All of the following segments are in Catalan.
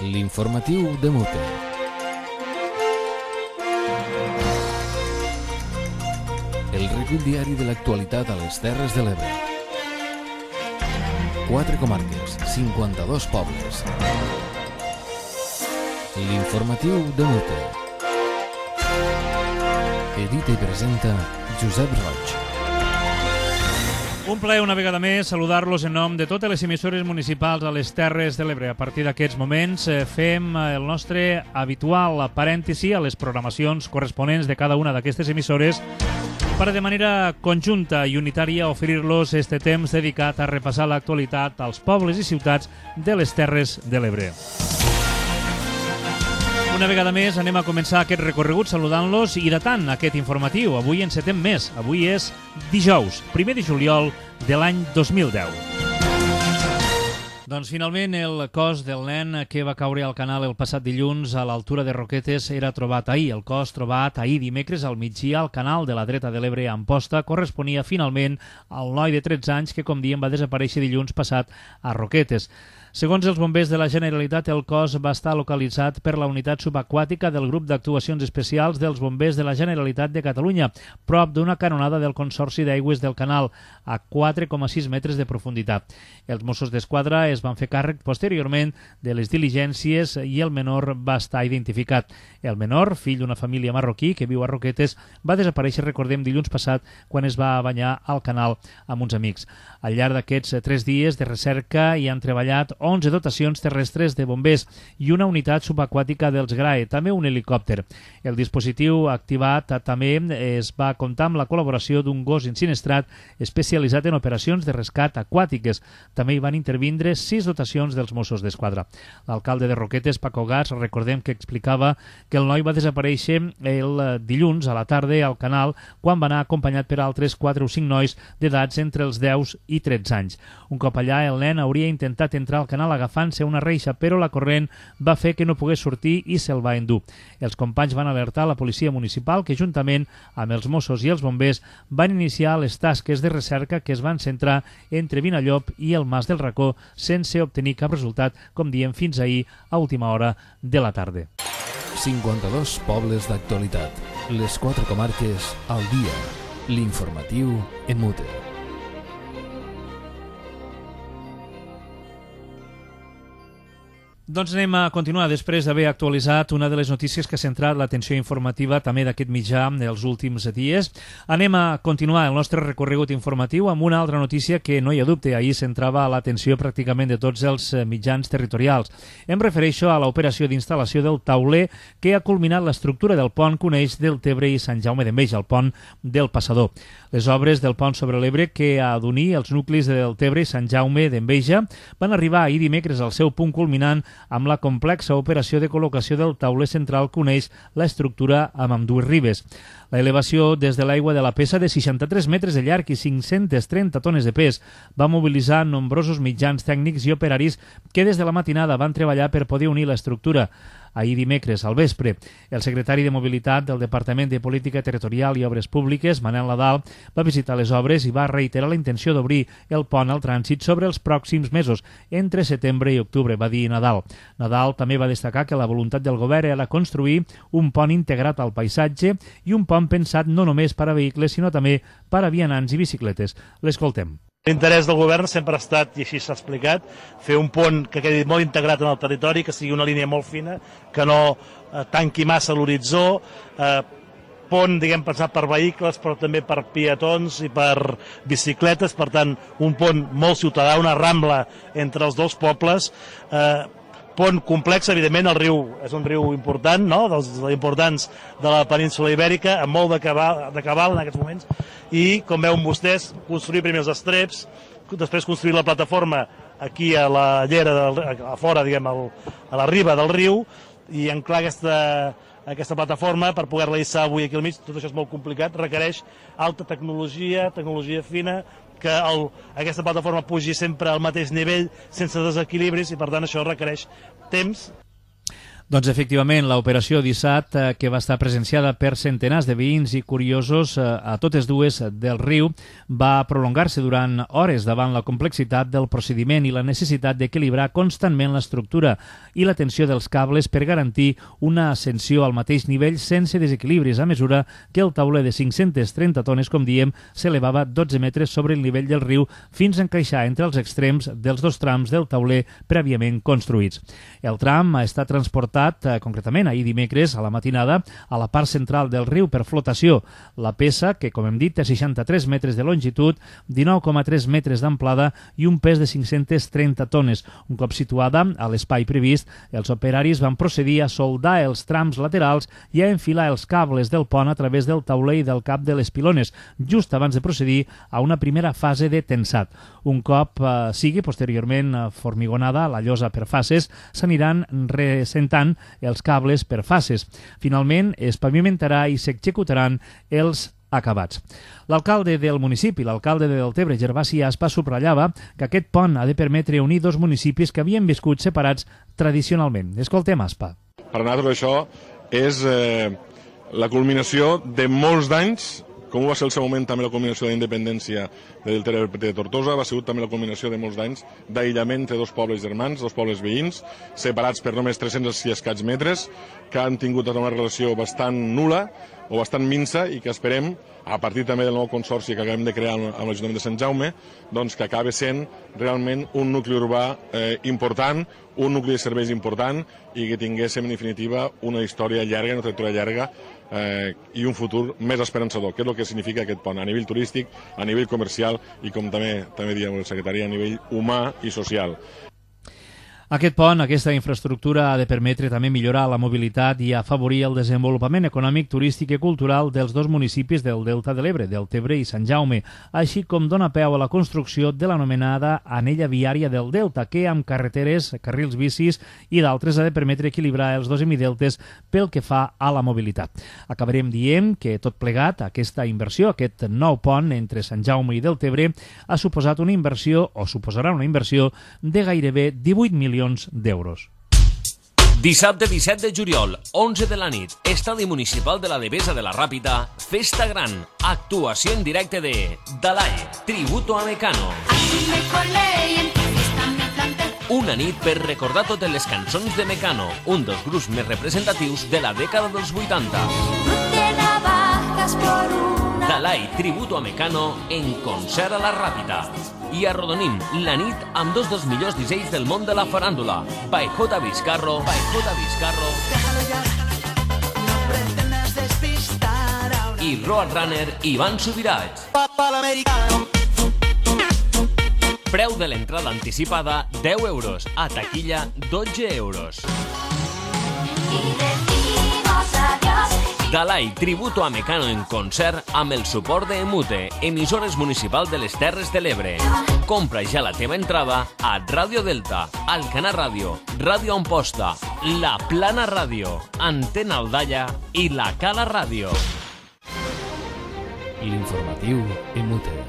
L'informatiu de Mute. El recull diari de l'actualitat a les Terres de l'Ebre. 4 comarques, 52 pobles. L'informatiu de Mute. Edita i presenta Josep Roig. Un plaer una vegada més saludar-los en nom de totes les emissores municipals a les Terres de l'Ebre. A partir d'aquests moments fem el nostre habitual parèntesi a les programacions corresponents de cada una d'aquestes emissores per de manera conjunta i unitària oferir-los este temps dedicat a repassar l'actualitat als pobles i ciutats de les Terres de l'Ebre. Una vegada més anem a començar aquest recorregut saludant-los i datant aquest informatiu. Avui encetem més. Avui és dijous, 1 de juliol de l'any 2010. Doncs finalment el cos del nen que va caure al canal el passat dilluns a l'altura de Roquetes era trobat ahir. El cos trobat ahir dimecres al migdia al canal de la dreta de l'Ebre a Amposta corresponia finalment al noi de 13 anys que, com diem, va desaparèixer dilluns passat a Roquetes. Segons els bombers de la Generalitat, el cos va estar localitzat per la unitat subaquàtica del grup d'actuacions especials dels bombers de la Generalitat de Catalunya, prop d'una canonada del Consorci d'Aigües del Canal, a 4,6 metres de profunditat. Els Mossos d'Esquadra es van fer càrrec posteriorment de les diligències i el menor va estar identificat. El menor, fill d'una família marroquí que viu a Roquetes, va desaparèixer, recordem, dilluns passat quan es va banyar al canal amb uns amics. Al llarg d'aquests 3 dies de recerca hi han treballat 11 dotacions terrestres de bombers i una unitat subaquàtica dels GRAE, també un helicòpter. El dispositiu activat també es va comptar amb la col·laboració d'un gos insinistrat especialitzat en operacions de rescat aquàtiques. També hi van intervindre 6 dotacions dels Mossos d'Esquadra. L'alcalde de Roquetes, Paco Gats, recordem que explicava que el noi va desaparèixer el dilluns a la tarda al canal quan va anar acompanyat per altres 4 o 5 nois d'edats entre els 10 i 13 anys. Un cop allà, el nen hauria intentat entrar al canal agafant-se una reixa, però la corrent va fer que no pogués sortir i se'l va endur. Els companys van alertar la policia municipal que, juntament amb els Mossos i els bombers, van iniciar les tasques de recerca que es van centrar entre Vinallop i el Mas del Racó sense obtenir cap resultat, com diem, fins ahir a última hora de la tarda. 52 pobles d'actualitat. Les 4 comarques al dia. L'informatiu en Mute. Doncs anem a continuar després d'haver actualitzat una de les notícies que ha centrat l'atenció informativa també d'aquest mitjà els últims dies. Anem a continuar el nostre recorregut informatiu amb una altra notícia que, no hi ha dubte, ahir centrava l'atenció pràcticament de tots els mitjans territorials. Em refereixo a l'operació d'instal·lació del tauler que ha culminat l'estructura del pont que uneix Deltebre i Sant Jaume d'Enveja, el pont del Passador. Les obres del pont sobre l'Ebre que ha d'unir els nuclis de Deltebre i Sant Jaume d'Enveja van arribar ahir dimecres al seu punt culminant amb la complexa operació de col·locació del tauler central que uneix l'estructura amb ambdues ribes. La elevació des de l'aigua de la Pesa de 63 metres de llarg i 530 tones de pes va mobilitzar nombrosos mitjans tècnics i operaris que des de la matinada van treballar per poder unir l'estructura. Ahir dimecres, al vespre, el secretari de Mobilitat del Departament de Política Territorial i Obres Públiques, Manel Nadal, va visitar les obres i va reiterar la intenció d'obrir el pont al trànsit sobre els pròxims mesos, entre setembre i octubre, va dir Nadal. Nadal també va destacar que la voluntat del govern era construir un pont integrat al paisatge i un pont pensat no només per a vehicles, sinó també per a vianants i bicicletes. L'escoltem. L'interès del govern sempre ha estat, i així s'ha explicat, fer un pont que quedi molt integrat en el territori, que sigui una línia molt fina, que no tanqui massa l'horitzó, pont, diguem, pensat per vehicles, però també per peatons i per bicicletes, per tant, un pont molt ciutadà, una rambla entre els dos pobles, pont complex, evidentment, el riu és un riu important, no?, dels importants de la península Ibèrica, amb molt de cabal en aquests moments, i, com veuen vostès, construir primer els estreps, després construir la plataforma aquí a la llera, a fora, diguem, a la riba del riu, i anclar aquesta plataforma per poder-la hissar avui aquí al mig. Tot això és molt complicat, requereix alta tecnologia fina, que aquesta plataforma pugi sempre al mateix nivell sense desequilibris i per tant això requereix temps. Doncs efectivament, l'operació Dissat, que va estar presenciada per centenars de veïns i curiosos a totes dues del riu, va prolongar-se durant hores davant la complexitat del procediment i la necessitat d'equilibrar constantment l'estructura i la tensió dels cables per garantir una ascensió al mateix nivell sense desequilibris, a mesura que el tauler de 530 tones, com diem, s'elevava 12 metres sobre el nivell del riu fins a encaixar entre els extrems dels dos trams del tauler prèviament construïts. El tram ha estat transportat concretament ahir dimecres a la matinada a la part central del riu per flotació. La peça, que com hem dit té 63 metres de longitud, 19,3 metres d'amplada i un pes de 530 tones. Un cop situada a l'espai previst, els operaris van procedir a soldar els trams laterals i a enfilar els cables del pont a través del tauler i del cap de les pilones, just abans de procedir a una primera fase de tensat. Un cop sigui posteriorment formigonada la llosa per fases, s'aniran ressentant els cables per fases. Finalment, es pavimentarà i s'executaran els acabats. L'alcalde del municipi, l'alcalde de Deltebre, Gervasi Aspa, subratllava que aquest pont ha de permetre unir dos municipis que havien viscut separats tradicionalment. Escoltem Aspa. Per nosaltres això és la culminació de molts d'anys, com va ser el seu moment també la culminació de la independència de Deltebre de Tortosa, va ser també la culminació de molts d'anys d'aïllament entre dos pobles germans, dos pobles veïns, separats per només 300 i escaig metres, que han tingut una relació bastant nul·la o bastant minsa i que esperem, a partir també del nou consorci que acabem de crear amb l'Ajuntament de Sant Jaume, doncs que acabi sent realment un nucli urbà important, un nucli de serveis important i que tinguéssim, en definitiva, una història llarga, una trajectòria llarga i un futur més esperançador, que és el que significa aquest pont, a nivell turístic, a nivell comercial i, com també diem el secretari, a nivell humà i social. Aquest pont, aquesta infraestructura, ha de permetre també millorar la mobilitat i afavorir el desenvolupament econòmic, turístic i cultural dels dos municipis del Delta de l'Ebre, Deltebre i Sant Jaume, així com dona peu a la construcció de l'anomenada anella viària del Delta, que amb carreteres, carrils bicis i d'altres ha de permetre equilibrar els dos hemideltes pel que fa a la mobilitat. Acabarem dient que tot plegat, aquesta inversió, aquest nou pont entre Sant Jaume i Deltebre, ha suposat una inversió, o suposarà una inversió, de gairebé 18 milions d'euros. Dissabte 17 de juliol, 11 de la nit, Estadi Municipal de la Devesa de la Ràpita, Festa Gran, actuació en directe de Dalai, tributo a Mecano. Una nit per recordar totes les cançons de Mecano, un dels grups més representatius de la dècada dels 80. Dalai, tributo a Mecano, en concert a la Ràpita. I arrodonim la nit amb dos dels millors DJs del món de la faràndula, by J. Vizcarro, i Roadrunner Ivan Subirats. Preu de l'entrada anticipada 10 euros, a taquilla 12 euros. Dalai, tributo a Mecano en concert amb el suport de Emute, emissores municipal de les Terres de l'Ebre. Compra ja la teva entrada a Ràdio Delta, Alcanar Ràdio, Ràdio Amposta, La Plana Ràdio, Antena Aldalla i La Cala Ràdio. L'informatiu Emute.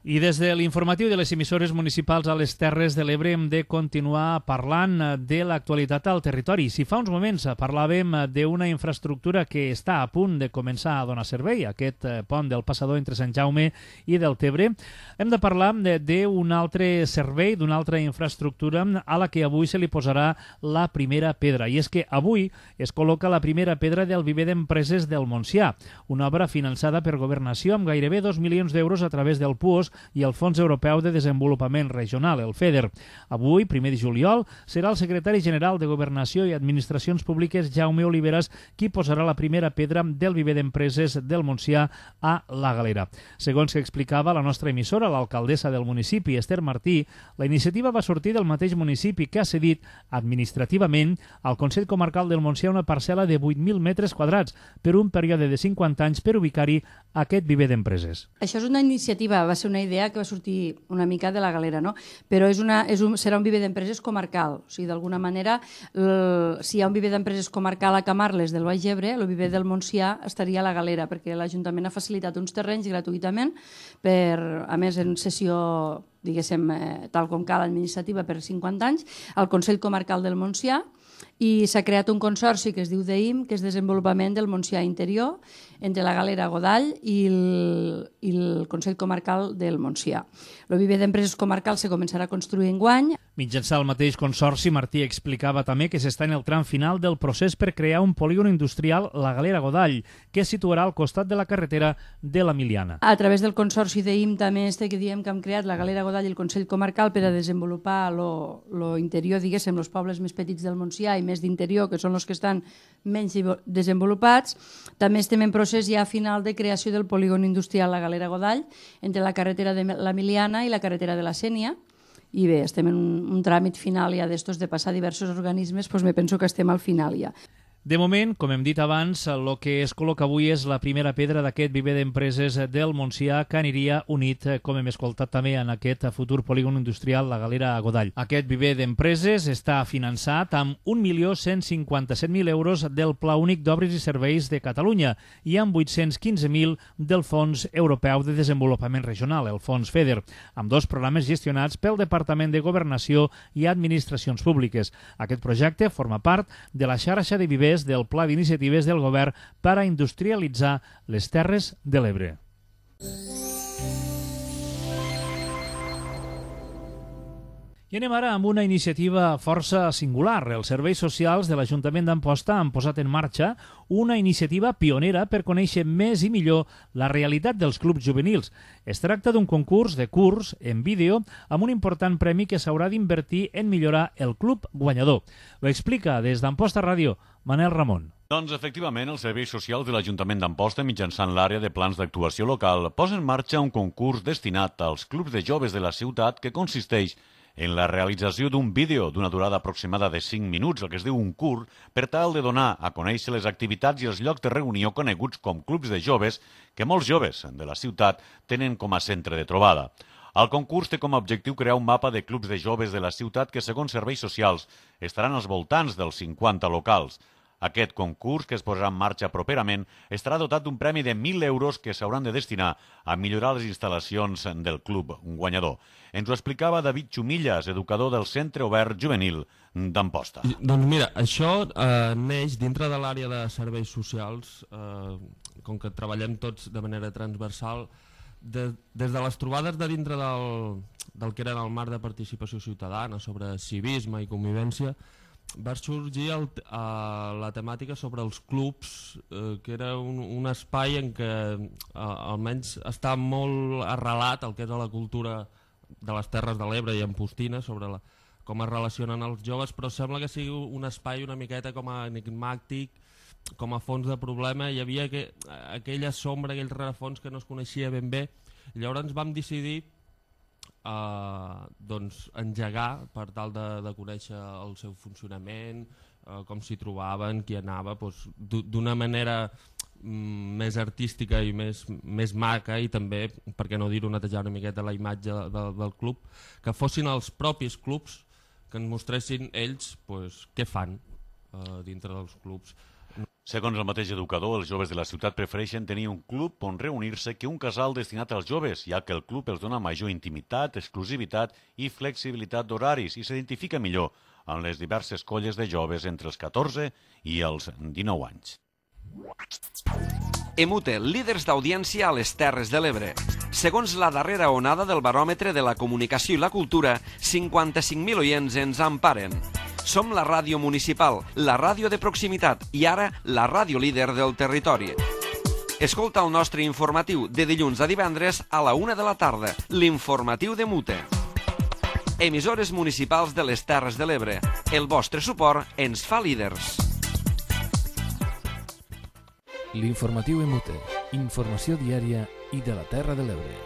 I des de l'informatiu de les emissores municipals a les Terres de l'Ebre hem de continuar parlant de l'actualitat al territori. Si fa uns moments parlàvem d'una infraestructura que està a punt de començar a donar servei, aquest pont del passador entre Sant Jaume i Deltebre, hem de parlar d'un altre servei, d'una altra infraestructura a la que avui se li posarà la primera pedra. I és que avui es col·loca la primera pedra del viver d'empreses del Montsià, una obra finançada per Governació amb gairebé 2 milions d'euros a través del PUOS i el Fons Europeu de Desenvolupament Regional, el FEDER. Avui, 1 de juliol, serà el secretari general de Governació i Administracions Públiques, Jaume Oliveras, qui posarà la primera pedra del viver d'empreses del Montsià a la Galera. Segons que explicava la nostra emissora, l'alcaldessa del municipi, Esther Martí, la iniciativa va sortir del mateix municipi que ha cedit administrativament al Consell Comarcal del Montsià una parcel·la de 8.000 metres quadrats per un període de 50 anys per ubicar-hi aquest viver d'empreses. Això és una iniciativa, va ser una idea que va sortir una mica de la galera, no? Però serà un viver d'empreses comarcal. O sigui, d'alguna manera, si hi ha un viver d'empreses comarcal a Camarles del Baix Ebre, el viver del Montsià estaria a la galera, perquè l'Ajuntament ha facilitat uns terrenys gratuïtament, a més en sessió, diguéssim, tal com cal, administrativa per 50 anys, al Consell Comarcal del Montsià, i s'ha creat un consorci que es diu DEIM, que és desenvolupament del Montsià interior, entre la Galera Godall i el Consell Comarcal del Montsià. El viver d'empreses comarcals se començarà a construir enguany. Mitjançant el mateix consorci, Martí explicava també que s'està en el tram final del procés per crear un polígon industrial, la Galera Godall, que es situarà al costat de la carretera de la Miliana. A través del consorci DEIM també que diem que hem creat la Galera Godall i el Consell Comarcal per a desenvolupar l'interior, diguéssim, els pobles més petits del Montsià i més d'interior, que són els que estan menys desenvolupats. També estem en procés ja final de creació del polígon industrial la Galera Godall, entre la carretera de la Miliana i la carretera de la Sénia. I bé, estem en un tràmit final ja d'estos de passar diversos organismes, doncs me penso que estem al final ja. De moment, com hem dit abans, el que es col·loca avui és la primera pedra d'aquest viver d'empreses del Montsià que aniria unit, com hem escoltat també, en aquest futur polígon industrial, la Galera Godall. Aquest viver d'empreses està finançat amb 1.157.000 euros del Pla Únic d'Obres i Serveis de Catalunya i amb 815.000 del Fons Europeu de Desenvolupament Regional, el Fons FEDER, amb 2 programes gestionats pel Departament de Governació i Administracions Públiques. Aquest projecte forma part de la xarxa de vivers del Pla d'Iniciatives del Govern per a industrialitzar les Terres de l'Ebre. I anem ara amb una iniciativa força singular. Els serveis socials de l'Ajuntament d'Amposta han posat en marxa una iniciativa pionera per conèixer més i millor la realitat dels clubs juvenils. Es tracta d'un concurs de curs en vídeo amb un important premi que s'haurà d'invertir en millorar el club guanyador. Ho explica des d'Amposta Ràdio Manel Ramon. Doncs, efectivament, els serveis socials de l'Ajuntament d'Amposta, mitjançant l'àrea de plans d'actuació local, posa en marxa un concurs destinat als clubs de joves de la ciutat que consisteix en la realització d'un vídeo d'una durada aproximada de 5 minuts, el que es diu un curs, per tal de donar a conèixer les activitats i els llocs de reunió coneguts com clubs de joves que molts joves de la ciutat tenen com a centre de trobada. El concurs té com a objectiu crear un mapa de clubs de joves de la ciutat que, segons serveis socials, estaran als voltants dels 50 locals. Aquest concurs, que es posarà en marxa properament, estarà dotat d'un premi de 1.000 euros que s'hauran de destinar a millorar les instal·lacions del club guanyador. Ens ho explicava David Xumillas, educador del Centre Obert Juvenil d'Amposta. Doncs mira, això neix dintre de l'àrea de serveis socials, com que treballem tots de manera transversal, des de les trobades de dintre del que era el marc de participació ciutadana sobre civisme i convivència, va sorgir la temàtica sobre els clubs, que era un espai en què almenys està molt arrelat el que és la cultura de les Terres de l'Ebre i Ampostina sobre com es relacionen els joves, però sembla que sigui un espai una miqueta com a enigmàtic, com a fons de problema. Hi havia aquella sombra, aquell rerefons que no es coneixia ben bé. Llavors vam decidir engegar per tal de conèixer el seu funcionament, com s'hi trobaven, qui anava, d'una manera més artística i més maca, i també, per què no dir-ho, netejar una miqueta la imatge del club, que fossin els propis clubs que ens mostressin ells què fan dintre dels clubs. Segons el mateix educador, els joves de la ciutat prefereixen tenir un club on reunir-se que un casal destinat als joves, ja que el club els dona major intimitat, exclusivitat i flexibilitat d'horaris i s'identifica millor amb les diverses colles de joves entre els 14 i els 19 anys. Emute, líders d'audiència a les Terres de l'Ebre. Segons la darrera onada del baròmetre de la comunicació i la cultura, 55.000 oients ens emparen. Som la ràdio municipal, la ràdio de proximitat i ara la ràdio líder del territori. Escolta el nostre informatiu de dilluns a divendres a la 1 de la tarda, l'informatiu d'Emute. Emissores municipals de les Terres de l'Ebre. El vostre suport ens fa líders. L'informatiu Emute, informació diària i de la Terra de l'Ebre.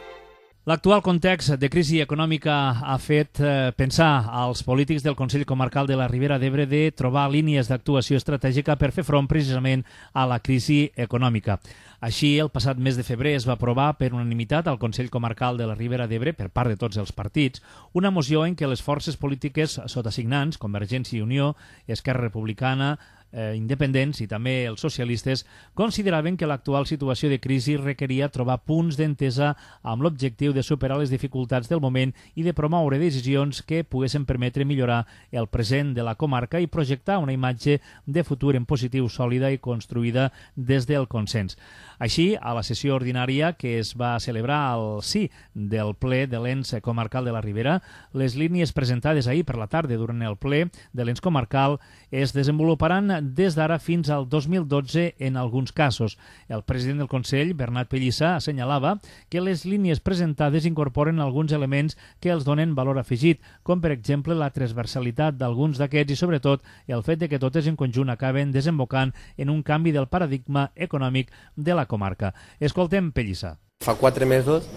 L'actual context de crisi econòmica ha fet pensar als polítics del Consell Comarcal de la Ribera d'Ebre de trobar línies d'actuació estratègica per fer front precisament a la crisi econòmica. Així, el passat mes de febrer es va aprovar per unanimitat al Consell Comarcal de la Ribera d'Ebre, per part de tots els partits, una moció en què les forces polítiques sotassignants, Convergència i Unió, Esquerra Republicana, independents i també els socialistes, consideraven que l'actual situació de crisi requeria trobar punts d'entesa amb l'objectiu de superar les dificultats del moment i de promoure decisions que poguessin permetre millorar el present de la comarca i projectar una imatge de futur en positiu, sòlida i construïda des del consens. Així, a la sessió ordinària que es va celebrar al sí del ple de l'ens comarcal de la Ribera, les línies presentades ahir per la tarda durant el ple de l'ens comarcal es desenvoluparan des d'ara fins al 2012 en alguns casos. El president del Consell, Bernat Pellissa, assenyalava que les línies presentades incorporen alguns elements que els donen valor afegit, com per exemple la transversalitat d'alguns d'aquests i sobretot el fet de que totes en conjunt acaben desembocant en un canvi del paradigma econòmic de la comarca. Escoltem Pellissa. Fa 4 mesos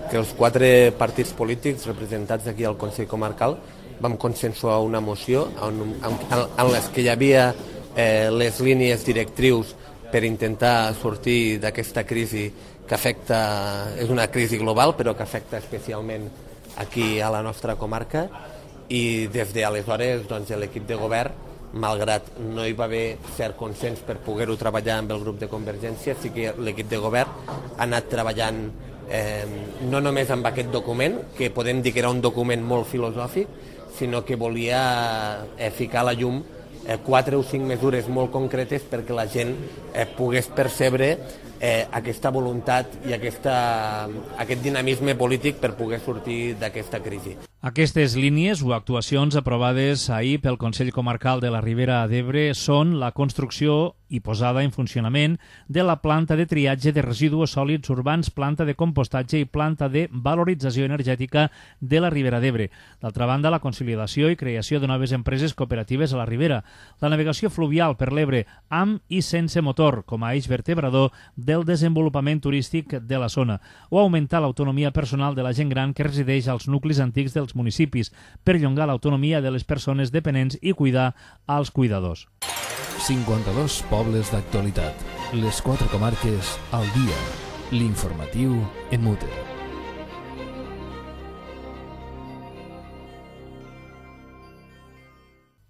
que els 4 partits polítics representats aquí al Consell Comarcal vam consensuar una moció en les que hi havia les línies directrius per intentar sortir d'aquesta crisi que afecta, és una crisi global però que afecta especialment aquí a la nostra comarca, i des d'aleshores doncs, l'equip de govern, malgrat no hi va haver cert consens per poder-ho treballar amb el grup de Convergència, sí que l'equip de govern ha anat treballant no només amb aquest document, que podem dir que era un document molt filosòfic, sinó que volia ficar a la llum 4 o 5 mesures molt concretes perquè la gent pogués percebre aquesta voluntat i aquest dinamisme polític per poder sortir d'aquesta crisi. Aquestes línies o actuacions aprovades ahir pel Consell Comarcal de la Ribera d'Ebre són la construcció i posada en funcionament de la planta de triatge de residus sòlids urbans, planta de compostatge i planta de valorització energètica de la Ribera d'Ebre. D'altra banda, la consolidació i creació de noves empreses cooperatives a la Ribera, la navegació fluvial per l'Ebre amb i sense motor com a eix vertebrador del desenvolupament turístic de la zona, o augmentar l'autonomia personal de la gent gran que resideix als nuclis antics dels municipis, perllongar l'autonomia de les persones dependents i cuidar als cuidadors. 52 pobles d'actualitat. Les 4 comarques al dia. L'informatiu en Mute.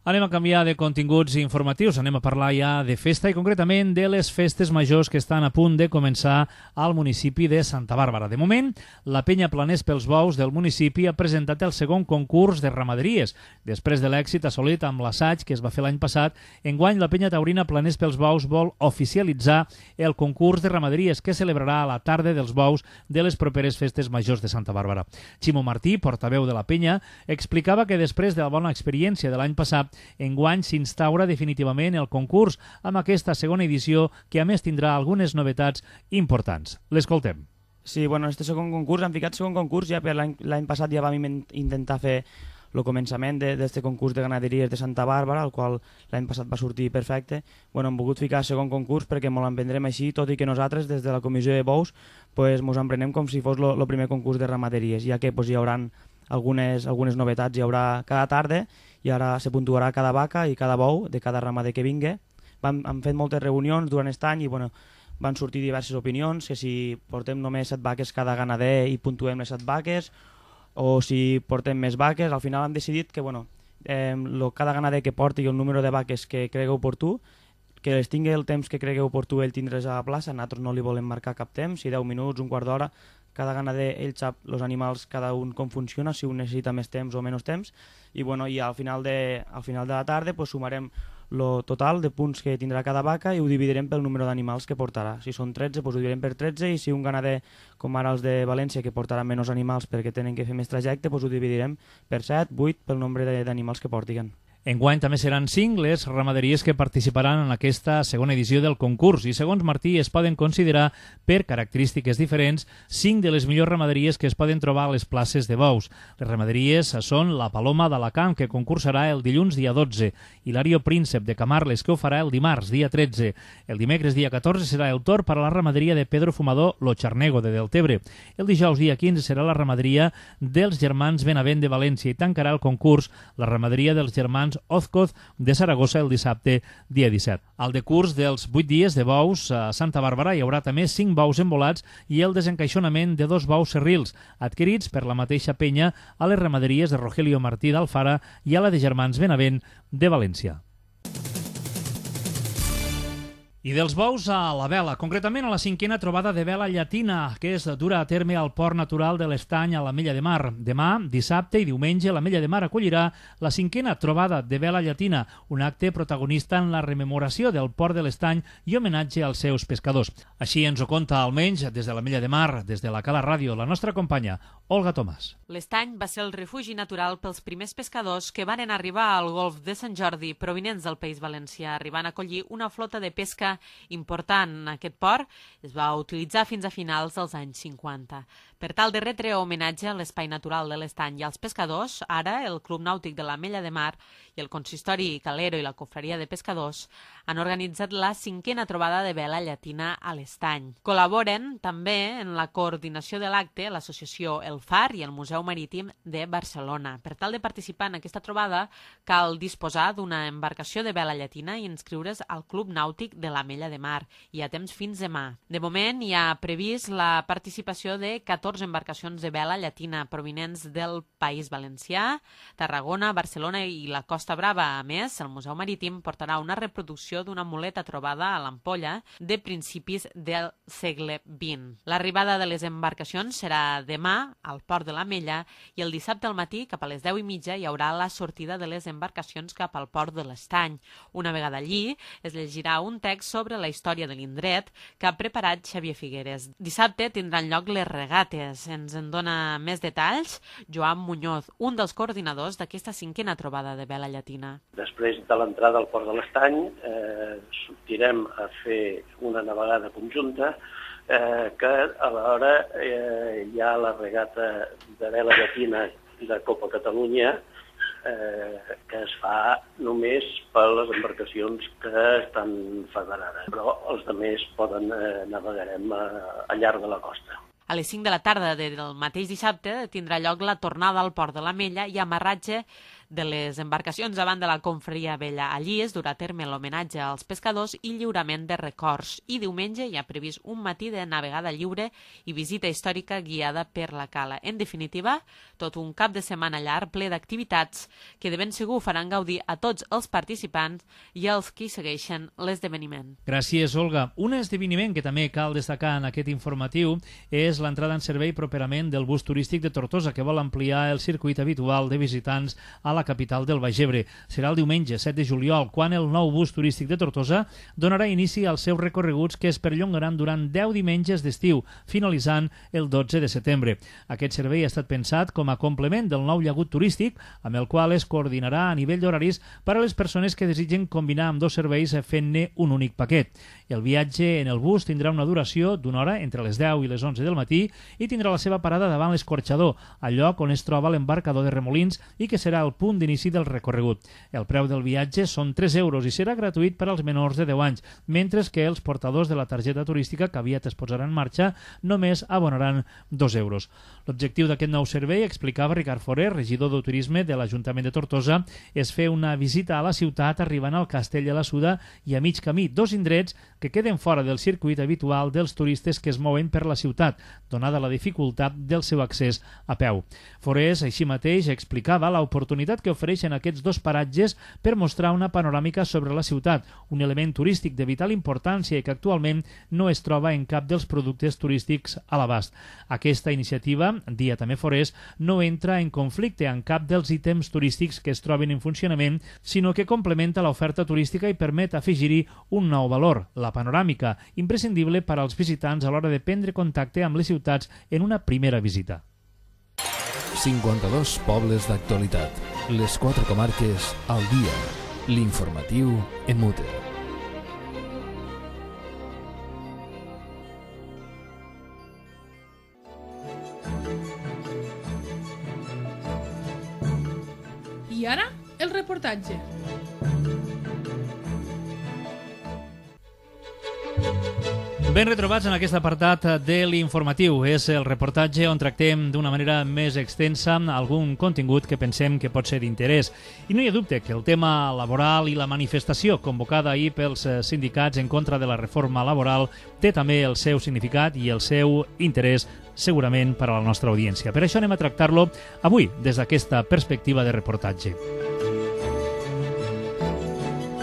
Anem a canviar de continguts informatius, anem a parlar ja de festa i concretament de les festes majors que estan a punt de començar al municipi de Santa Bàrbara. De moment, la penya Planers pels Bous del municipi ha presentat el segon concurs de ramaderies. Després de l'èxit assolit amb l'assaig que es va fer l'any passat, enguany la penya taurina Planers pels Bous vol oficialitzar el concurs de ramaderies que celebrarà a la tarda dels bous de les properes festes majors de Santa Bàrbara. Ximo Martí, portaveu de la penya, explicava que després de la bona experiència de l'any passat, enguany s'instaura definitivament el concurs amb aquesta segona edició que a més tindrà algunes novetats importants. L'escoltem. Sí, bueno, este segon concurs, hem ficat segon concurs ja per l'any passat ja vam intentar fer el començament d'aquest concurs de ganaderies de Santa Bàrbara, el qual l'any passat va sortir perfecte. Bueno, hem volgut ficar segon concurs perquè ens l'emprendrem així, tot i que nosaltres des de la comissió de bous ens emprenem com si fos el primer concurs de ramaderies, ja que hi haurà algunes novetats, hi haurà cada tarda i ara se puntuarà cada vaca i cada bou de cada ramader que vingui. Hem fet moltes reunions durant aquest any i van sortir diverses opinions, que si portem només 7 vaques cada ganader i puntuem les 7 vaques, o si portem més vaques. Al final hem decidit que cada ganader que porti el número de vaques que cregui oportú, que les tingui el temps que cregui oportú ell tindre's a la plaça, nosaltres no li volem marcar cap temps, si 10 minuts, un quart d'hora, cada ganader ell sap els animals cada un com funciona, si un necessita més temps o menys temps, i al final de la tarda sumarem el total de punts que tindrà cada vaca i ho dividirem pel número d'animals que portarà. Si són 13, ho dividirem per 13, i si un ganader, com ara els de València, que portarà menys animals perquè tenen que fer més trajecte, ho dividirem per 7, 8, pel nombre d'animals que portiguen. Enguany també seran 5 les ramaderies que participaran en aquesta segona edició del concurs i, segons Martí, es poden considerar, per característiques diferents, 5 de les millors ramaderies que es poden trobar a les places de bous. Les ramaderies són la Paloma d'Alacant, que concursarà el dilluns dia 12, i l'Ario Príncep de Camarles, que ho farà el dimarts dia 13. El dimecres dia 14 serà el torn per a la ramaderia de Pedro Fumador Lo Charnego de Deltebre. El dijous dia 15 serà la ramaderia dels germans Benavent de València i tancarà el concurs la ramaderia dels germans germans Ozcoz de Saragossa el dissabte, dia 17. Al decurs dels 8 dies de bous a Santa Bàrbara hi haurà també 5 bous embolats i el desencaixonament de 2 bous serrils, adquirits per la mateixa penya a les ramaderies de Rogelio Martí d'Alfara i a la de Germans Benavent de València. I dels bous a la vela, concretament a la 5a trobada de vela llatina, que es dura a terme al Port Natural de l'Estany a l'Ametlla de Mar. Demà, dissabte i diumenge, l'Ametlla de Mar acollirà la 5a trobada de vela llatina, un acte protagonista en la rememoració del Port de l'Estany i homenatge als seus pescadors. Així ens ho conta, almenys, des de l'Ametlla de Mar, des de la Cala Ràdio, la nostra companya, Olga Tomàs. L'Estany va ser el refugi natural pels primers pescadors que varen arribar al golf de Sant Jordi provinents del País Valencià, arribant a acollir una flota de pesca important. Aquest port es va utilitzar fins a finals dels anys 50. Per tal de retre homenatge a l'espai natural de l'Estany i als pescadors, ara el Club Nàutic de l'Ametlla de Mar i el Consistori Calero i la Confraria de Pescadors han organitzat la 5a trobada de vela llatina a l'Estany. Col·laboren també en la coordinació de l'acte l'associació El Far i el Museu Marítim de Barcelona. Per tal de participar en aquesta trobada cal disposar d'una embarcació de vela llatina i inscriure's al Club Nàutic de l'Ametlla de Mar. Hi ha temps fins demà. De moment hi ha previst la participació de 14 embarcacions de vela llatina provinents del País Valencià, Tarragona, Barcelona i la Costa Brava. A més, el Museu Marítim portarà una reproducció d'una muleta trobada a l'Ampolla de principis del segle XX. L'arribada de les embarcacions serà demà al Port de l'Ametlla i el dissabte al matí, cap a les 10:30, hi haurà la sortida de les embarcacions cap al Port de l'Estany. Una vegada allí, es llegirà un text sobre la història de l'indret que ha preparat Xavier Figueres. Dissabte tindran lloc les regates. Ens en dona més detalls Joan Muñoz, un dels coordinadors d'aquesta 5a trobada de vela llatina. Després de l'entrada al Port de l'Estany sortirem a fer una navegada conjunta que alhora hi ha la regata de vela llatina de Copa Catalunya que es fa només per les embarcacions que estan federades, però els altres navegarem al llarg de la costa. A les 5 de la tarda del mateix dissabte tindrà lloc la tornada al Port de l'Ametlla i amarratge de les embarcacions davant de la Confraria Vella. Allí es durà a terme l'homenatge als pescadors i lliurament de records. I diumenge hi ha previst un matí de navegada lliure i visita històrica guiada per la cala. En definitiva, tot un cap de setmana llarg ple d'activitats que de ben segur faran gaudir a tots els participants i als qui segueixen l'esdeveniment. Gràcies, Olga. Un esdeveniment que també cal destacar en aquest informatiu és l'entrada en servei properament del bus turístic de Tortosa, que vol ampliar el circuit habitual de visitants a la capital del Baix Ebre. Serà el diumenge 7 de juliol, quan el nou bus turístic de Tortosa donarà inici als seus recorreguts que es perllongaran durant 10 diumenges d'estiu, finalitzant el 12 de setembre. Aquest servei ha estat pensat com a complement del nou llagut turístic, amb el qual es coordinarà a nivell d'horaris per a les persones que desitgen combinar amb dos serveis fent-ne un únic paquet. El viatge en el bus tindrà una duració d'una hora entre les 10 i les 11 del matí i tindrà la seva parada davant l'Escorxador, al lloc on es troba l'embarcador de Remolins i que serà el punt d'inici del recorregut. El preu del viatge són 3 euros i serà gratuït per als menors de 10 anys, mentre que els portadors de la targeta turística que aviat es posarà en marxa només abonaran 2 euros. L'objectiu d'aquest nou servei, explicava Ricard Forer, regidor de turisme de l'Ajuntament de Tortosa, és fer una visita a la ciutat arribant al Castell de la Suda i a mig camí, dos indrets que queden fora del circuit habitual dels turistes que es mouen per la ciutat, donada la dificultat del seu accés a peu. Forés, així mateix, explicava l'oportunitat que ofereixen aquests dos paratges per mostrar una panoràmica sobre la ciutat, un element turístic de vital importància i que actualment no es troba en cap dels productes turístics a l'abast. Aquesta iniciativa, dia també Forés, no entra en conflicte amb cap dels ítems turístics que es troben en funcionament, sinó que complementa l'oferta turística i permet afegir-hi un nou valor, la panoràmica, imprescindible per als visitants a l'hora de prendre contacte amb les ciutats en una primera visita. 52 pobles d'actualitat. Les 4 comarques al dia. L'informatiu en Mute. I ara, el reportatge. Ben retrobats en aquest apartat de l'informatiu. És el reportatge on tractem d'una manera més extensa algun contingut que pensem que pot ser d'interès. I no hi ha dubte que el tema laboral i la manifestació convocada ahir pels sindicats en contra de la reforma laboral té també el seu significat i el seu interès segurament per a la nostra audiència. Per això anem a tractar-lo avui des d'aquesta perspectiva de reportatge.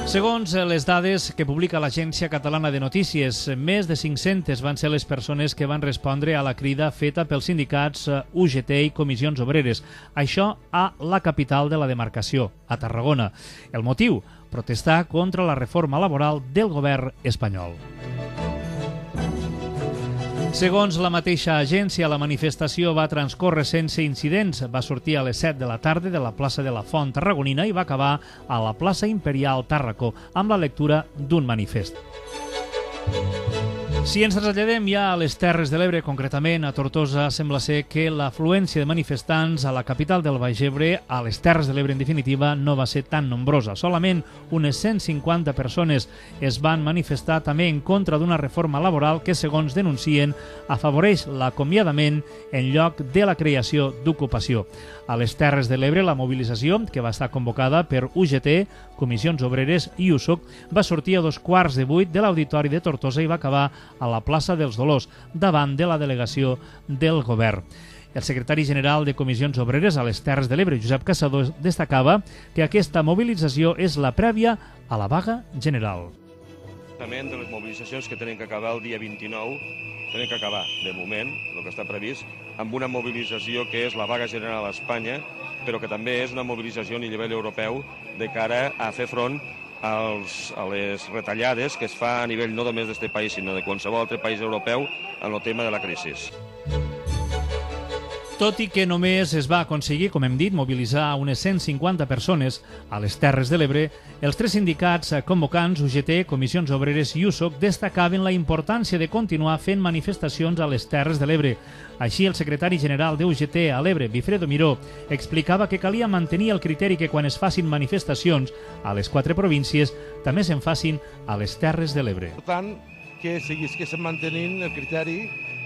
Segons les dades que publica l'Agència Catalana de Notícies, més de 500 van ser les persones que van respondre a la crida feta pels sindicats UGT i Comissions Obreres. Això a la capital de la demarcació, a Tarragona. El motiu? Protestar contra la reforma laboral del govern espanyol. Segons la mateixa agència, la manifestació va transcórrer sense incidents. Va sortir a les 7 de la tarda de la plaça de la Font Tarragonina i va acabar a la plaça Imperial Tàrraco amb la lectura d'un manifest. Si ens traslladem ja a les Terres de l'Ebre, concretament a Tortosa, sembla ser que l'afluència de manifestants a la capital del Baix Ebre, a les Terres de l'Ebre en definitiva, no va ser tan nombrosa. Solament unes 150 persones es van manifestar també en contra d'una reforma laboral que, segons denuncien, afavoreix l'acomiadament en lloc de la creació d'ocupació. A les Terres de l'Ebre, la mobilització, que va estar convocada per UGT, Comissions Obreres i USOC, va sortir a 7:15 de l'Auditori de Tortosa i va acabar a la plaça dels Dolors, davant de la delegació del govern. El secretari general de Comissions Obreres a les Terres de l'Ebre, Josep Caçador, destacava que aquesta mobilització és la prèvia a la vaga general. De les mobilitzacions que tenen que acabar el dia 29, tenen que acabar, de moment, el que està previst, amb una mobilització que és la vaga general a Espanya, però que també és una mobilització a nivell europeu de cara a fer front a les retallades que es fa a nivell no només d'aquest país, sinó de qualsevol altre país europeu en el tema de la crisi. Tot i que només es va aconseguir, com hem dit, mobilitzar unes 150 persones a les Terres de l'Ebre, els tres sindicats convocants, UGT, Comissions Obreres i USOC, destacaven la importància de continuar fent manifestacions a les Terres de l'Ebre. Així, el secretari general de UGT a l'Ebre, Bifredo Miró, explicava que calia mantenir el criteri que quan es facin manifestacions a les 4 províncies també se'n facin a les Terres de l'Ebre. Per tant, que seguissin mantenint el criteri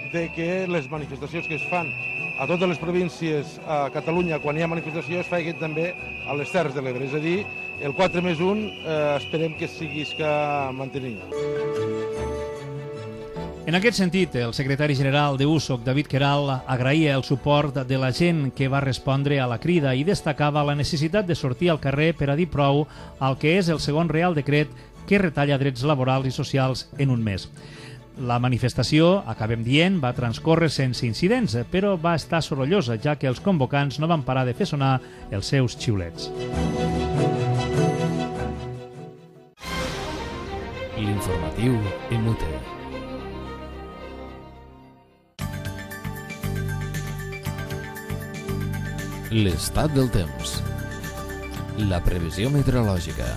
de que les manifestacions que es fan a totes les províncies a Catalunya, quan hi ha manifestació, es facin també a les Terres de l'Ebre. És a dir, el 4+1 esperem que seguisca mantenint. En aquest sentit, el secretari general de USOC, David Queralt, agraïa el suport de la gent que va respondre a la crida i destacava la necessitat de sortir al carrer per a dir prou al que és el segon Real Decret que retalla drets laborals i socials en un mes. La manifestació, acabem dient, va transcórrer sense incidents, però va estar sorollosa, ja que els convocants no van parar de fer sonar els seus xiulets. L'informatiu en Mute. L'estat del temps. La previsió meteorològica.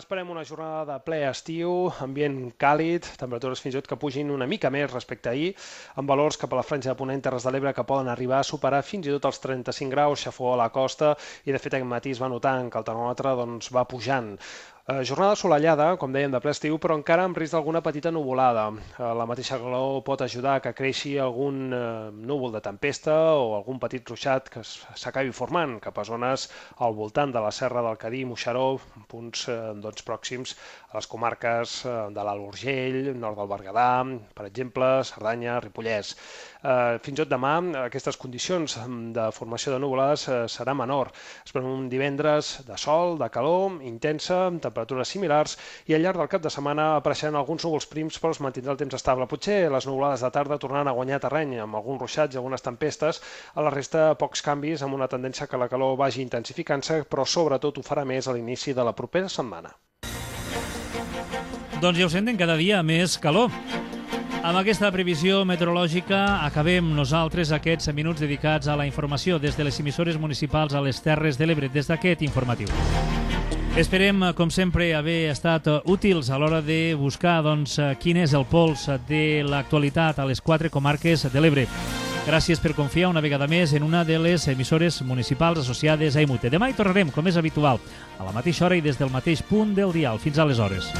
Esperem una jornada de ple estiu, ambient càlid, temperatures fins i tot que pugin una mica més respecte a ahir, amb valors cap a la franja de Ponent, Terres de l'Ebre, que poden arribar a superar fins i tot els 35 graus, xafó a la costa, i de fet aquest matí es va notant que el termòmetre va pujant. Jornada assolellada, com dèiem, de ple estiu, però encara amb risc d'alguna petita nuvolada. La mateixa calor pot ajudar a que creixi algun núvol de tempesta o algun petit ruixat que s'acabi formant cap a zones al voltant de la Serra del Cadí i Moixeró, punts pròxims a les comarques de l'Alt Urgell, nord del Berguedà, per exemple, Cerdanya, Ripollès. Fins i tot demà aquestes condicions de formació de nuvolades serà menor. Esperem un divendres de sol, de calor, intensa, amb temperatures similars, i al llarg del cap de setmana apareixeran alguns núvols prims, però es mantindrà el temps estable. Potser les nuvolades de tarda tornaran a guanyar terreny amb alguns ruixats i algunes tempestes. A la resta, pocs canvis, amb una tendència que la calor vagi intensificant-se, però sobretot ho farà més a l'inici de la propera setmana. Doncs ja ho senten, cada dia més calor. Amb aquesta previsió meteorològica acabem nosaltres aquests minuts dedicats a la informació des de les emissores municipals a les Terres de l'Ebre, des d'aquest informatiu. Esperem, com sempre, haver estat útils a l'hora de buscar quin és el pols de l'actualitat a les 4 comarques de l'Ebre. Gràcies per confiar una vegada més en una de les emissores municipals associades a EMUTE. Demà hi tornarem, com és habitual, a la mateixa hora i des del mateix punt del dial. Fins aleshores.